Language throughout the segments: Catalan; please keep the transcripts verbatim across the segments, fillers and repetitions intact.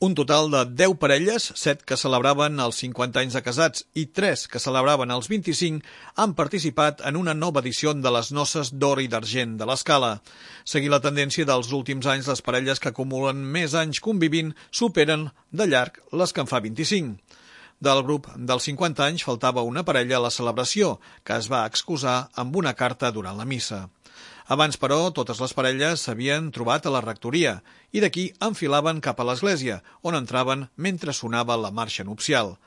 Un total de deu parelles, set que celebraven els cinquanta anys de casats i tres que celebraven els vint-i-cinc, han participat en una nova edició de les noces d'or i d'argent de l'Escala. Seguint la tendència dels últims anys, les parelles que acumulen més anys convivint superen de llarg les que en fa vint-i-cinc. Del grup dels cinquanta anys faltava una parella a la celebració, que es va excusar amb una carta durant la missa. Abans, però, totes les parelles s'havien trobat a la rectoria i d'aquí enfilaven cap a l'església, on entraven mentre sonava la marxa nupcial.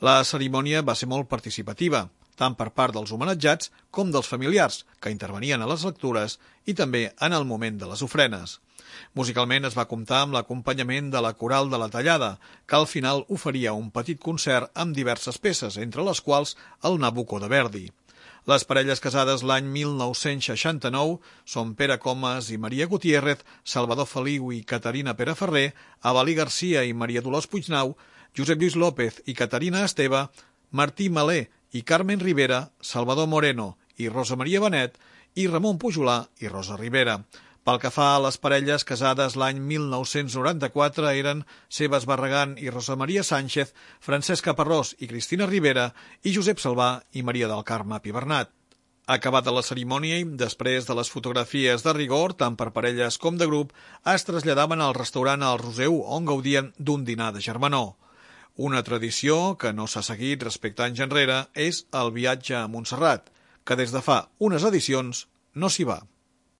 La cerimònia va ser molt participativa, tant per part dels homenatjats com dels familiars, que intervenien a les lectures i també en el moment de les ofrenes. Musicalment es va comptar amb l'acompanyament de la Coral de la Tallada, que al final oferia un petit concert amb diverses peces, entre les quals el Nabucco de Verdi. Les parelles casades l'any mil nou-cents seixanta-nou són Pere Comas i Maria Gutiérrez, Salvador Feliu i Caterina Peraferrer, Avalí Garcia i Maria Dolors Puignau, Josep Lluís López i Caterina Esteve, Martí Malé i Carmen Rivera, Salvador Moreno i Rosa Maria Benet i Ramon Pujolà i Rosa Rivera. Pel que fa a les parelles casades l'any mil nou-cents noranta-quatre eren Sebas Barragán i Rosa Maria Sánchez, Francesc Caparrós i Cristina Rivera i Josep Salvà i Maria del Carme Pibernat. Acabada la cerimònia i després de les fotografies de rigor, tant per parelles com de grup, es traslladaven al restaurant El Roseu on gaudien d'un dinar de germanor. Una tradició que no s'ha seguit respecte anys enrere és el viatge a Montserrat, que des de fa unes edicions no s'hi va.